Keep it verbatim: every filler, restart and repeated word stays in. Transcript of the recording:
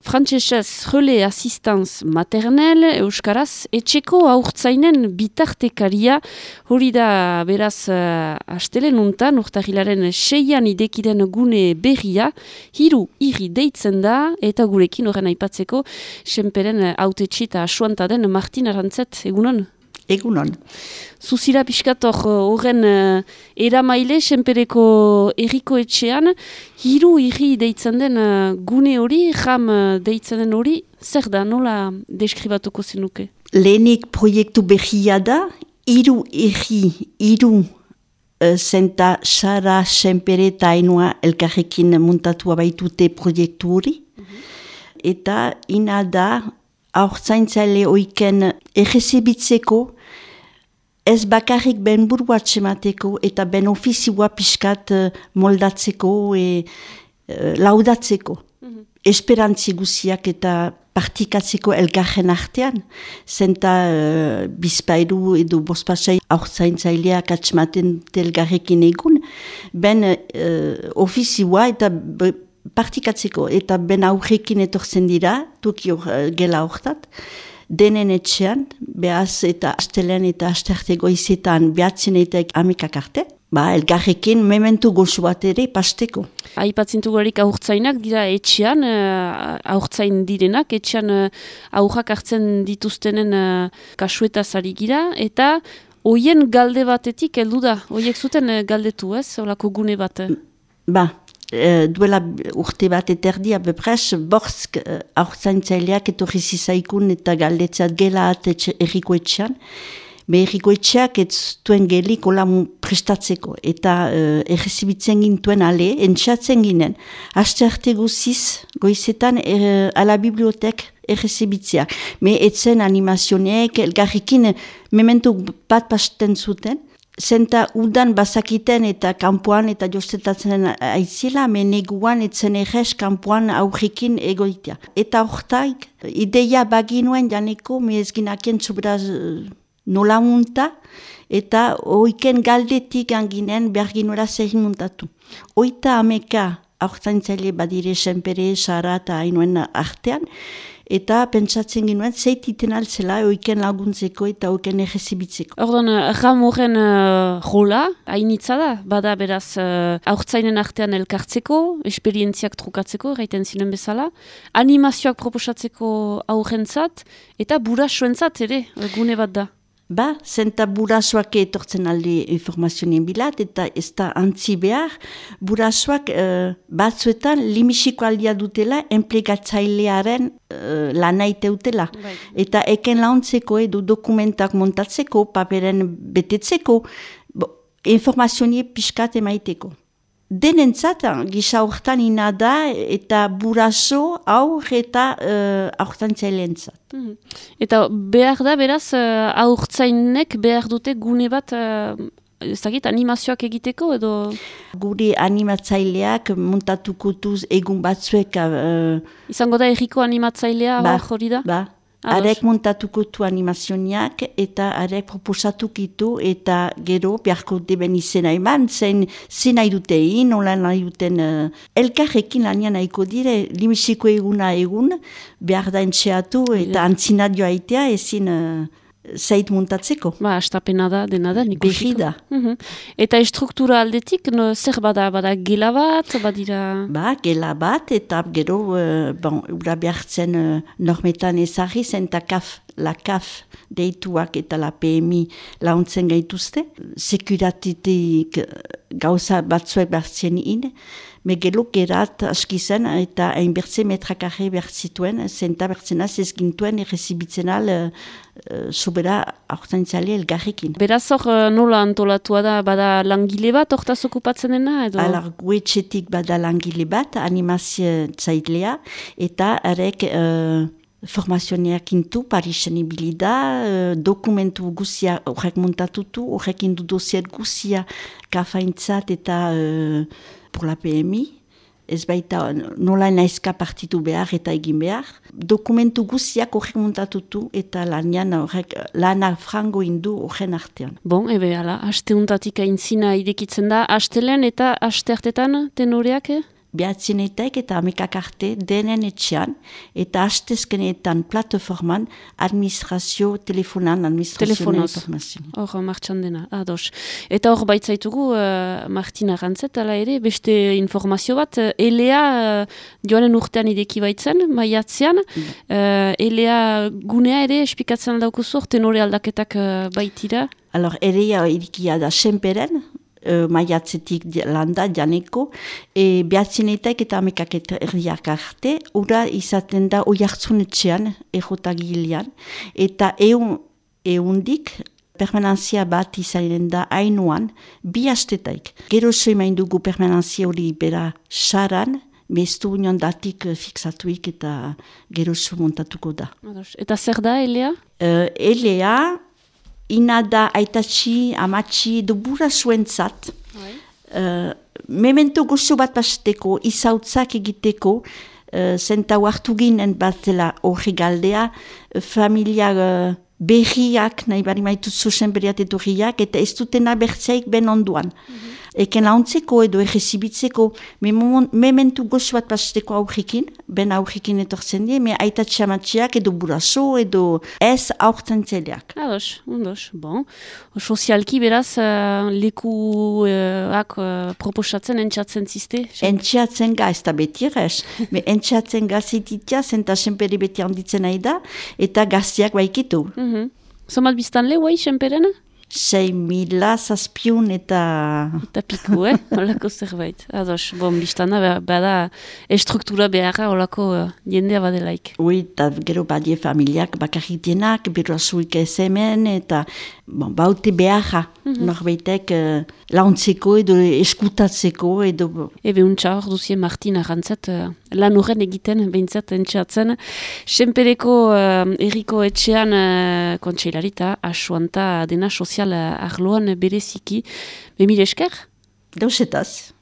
Frantsesez Relais Assistance Maternel, euskaraz, etxeko haurtzainen bitartekaria, hori da beraz uh, astelen untan, urtahilaren seian idekiren gune berria, hiru irri deitzen da, eta gurekin horren aipatzeko, senperen hautetxi eta asuanta den Martin Arantzet, egunon? Egunon. Zuzira pixkator horren uh, eramaile, senpereko erriko etxean, hiru irri deitzen den uh, gune hori, jam uh, deitzen den hori, zer da, nola deskribatuko zenuke? Lehenik proiektu berria da, hiru irri, hiru uh, zenta Sara, senpere eta Ainhoa elkarrekin muntatua baitute proiektu hori. Mm-hmm. Eta ina da, haurtzaintzaile oiken errezibitzeko, ez bakarrik ben burua txemateko eta ben ofizioa pixkat uh, moldatzeko e uh, laudatzeko. Mm-hmm. Esperantzi guziak eta partikatzeko elgarren artean. Zenta uh, bizpairu edo bospasai haurtzaintzaileak atxematen elgarrekin egun, ben uh, ofizioa eta b- partikatzeko eta ben aurrekin etortzen dira, tuki hor uh, gela hortat, denen etxean, behaz eta astelen eta asterte goizetan behatzen eta amikak arte, ba, elgarrekin mementu goxu bat ere pasteko. Aipatzintu garik aurtzainak dira etxean, uh, aurtzain direnak, etxean uh, aurrak hartzen dituztenen uh, kasuetaz ari gira, eta hoien galde batetik heldu da, hoiek zuten uh, galdetu ez, holako gune bat? Ba, Uh, duela urte bat eterdia bepres, borsk uh, aurtzaintzaileak etorri zizaikun eta galdetzat gela at erriko etxean. Be erriko etxeak ez duen gelik hola prestatzeko. Eta uh, errezibitzen gintuen ale, entxatzen ginen. Aste arte guziz, goizetan er, ala bibliotek errezibitzea. Me etzen animazioneek, elgarrikin mementu bat pasten zuten. Zenta udan bazakiten eta kanpoan eta jostetatzen aitzila, meneguan etzen errez kanpoan aurrekin egoitea. Eta hortaik, ideia baginuen janeko, me ezginakien zubraz nola munta, eta oiken galdetik anginen berginuera zer muntatu. Oita ameka aurtzaintzaile badire senpere, Sara eta Ainhoen artean, eta pentsatzen ginoen zeititen altzela oiken laguntzeko eta oiken errezibitzeko. Ordan, ram horren uh, rola, hainitza da, bada beraz uh, aurtzainen artean elkartzeko, esperientziak trukatzeko, gaiten ziren bezala, animazioak proposatzeko aurrentzat, eta burasoentzat ere, gune bat da. Ba, zenta burasoak etortzen alde informazionien bilat, eta ez da antzi behar, burasoak uh, batzuetan limisiko aldia dutela, enplegatzailearen uh, lanaite utela. Bai. Eta eken launtzeko edo dokumentak montatzeko, paperen betetzeko, informazionie pixkat emaiteko. Denentzat, gisa hortan ina da, eta buraso aur eta uh, aurtzaintzailentzat. Mm-hmm. Eta behar da, beraz, uh, aurtzainek behar dute gune bat, uh, ez dakit, animazioak egiteko edo? Gure animatzaileak muntatuko duz egun batzuek. Uh, Izango da erriko animatzailea ba, hori da? Ba. Arek muntatuko tu animazioniak eta arek proposatukitu eta gero beharko deben izena eman, zen zen nahi dute egin, nola nahi duten uh, elkarrekin lanian nahiko dire, limisiko eguna egun, behar da entxeatu eta antzinadioa aitea ezin uh, zait muntatzeko. Ba, astapena da, dena da, niko Berri da. Uh-huh. Eta estruktura aldetik, no, zer bada, bada gela bat, badira? Ba, gela bat, eta gero, uh, bon, ura behartzen uh, normetan ezarri, zenta kaf, la kaf deituak eta la P M I launtzen gaituzte. Sekuratitik gauza batzuek behartzen in, megelo gerat aski zen eta hainbertze metrakarre behartzituen, zenta bertzenaz ez gintuen errezibitzen al uh, sobera aurtzaintzale elgarrekin. Beraz hor nola antolatua da, bada langile bat hortaz okupatzen dena? Edo? Alar, guetxetik bada langile bat, animazio zailea, eta arek uh, formazioneak intu, Parisen ibilida, uh, dokumentu guzia horrek muntatutu, horrek indu dosier guzia kafaintzat eta uh, por la P M I, ez baita nola naizka partitu behar eta egin behar. Dokumentu guziak horrek muntatutu eta lanian horrek lana frango indu horren artean. Bon, ebe, ala, aste untatik aintzina idekitzen da, astelen eta aste hartetan tenoreak? Eh? behatzinetek eta amekak arte denen etxean, eta hastezkenetan plataforman administrazio telefonan, administrazio informazio. Hor, martxan dena, ados. Eta hor baitzaitugu, uh, Martina Rantzet, ala ere, beste informazio bat, uh, Elea uh, joanen urtean ideki baitzen, maiatzean, mm. uh, Elea gunea ere, espikatzen aldaukuzu, tenore aldaketak uh, baitira? Alors, Elea irikia da senperen, Uh, maiatzetik landa, janeko, e, behatzinetak eta amekak erriak arte, ura izaten da oiartzunetxean, errotagilean, eta eun, eundik, permanentzia bat izanen da hainuan, bi astetaik. Gero soimain dugu permanentzia hori bera saran, mestu union datik fixatuik eta gero montatuko da. Eta zer da, Elea? Uh, Elea, ina da aitatxi, amatxi, dubura zuentzat. Uh, memento gozo bat pasteko, izautzak egiteko, uh, zentau hartu ginen batela horri galdea, uh, familia uh, berriak, nahi bari maitut zuzen berriat edurriak, eta ez dutena bertzeik ben onduan. Mm-hmm. Eken launtzeko edo errezibitzeko, me mementu gozo bat pasteko aurrikin, ben aurrikin etortzen die, me aitatxi amatxiak edo buraso edo ez aurten zeleak. Ados, ondos, bon. Sozialki beraz, uh, lekuak uh, proposatzen entxatzen ziste? Entxatzen ga, ez da beti errez. Me entxatzen ga zititia, zenta senpere beti handitzen nahi da, eta gaztiak baikitu. Mm-hmm. Zomat biztan le, guai, senperena? Sei mila zazpiun eta... Eta piku, eh? Olako zerbait. Ados, bon, biztana, bada estruktura beharra olako uh, jendea badelaik. Ui, eta gero badie familiak bakarrik dienak, bero azuik ez hemen, eta bon, baute beharra. Mm-hmm. Norbaitek uh, launtzeko edo eskutatzeko edo... Ebe untxa hor duzien Martina Rantzet, uh, lan horren egiten, behintzat entxeatzen. Senpereko uh, erriko etxean uh, kontseilarita, asuanta dena sozial arloan bereziki. Bemire esker? Dauzetaz.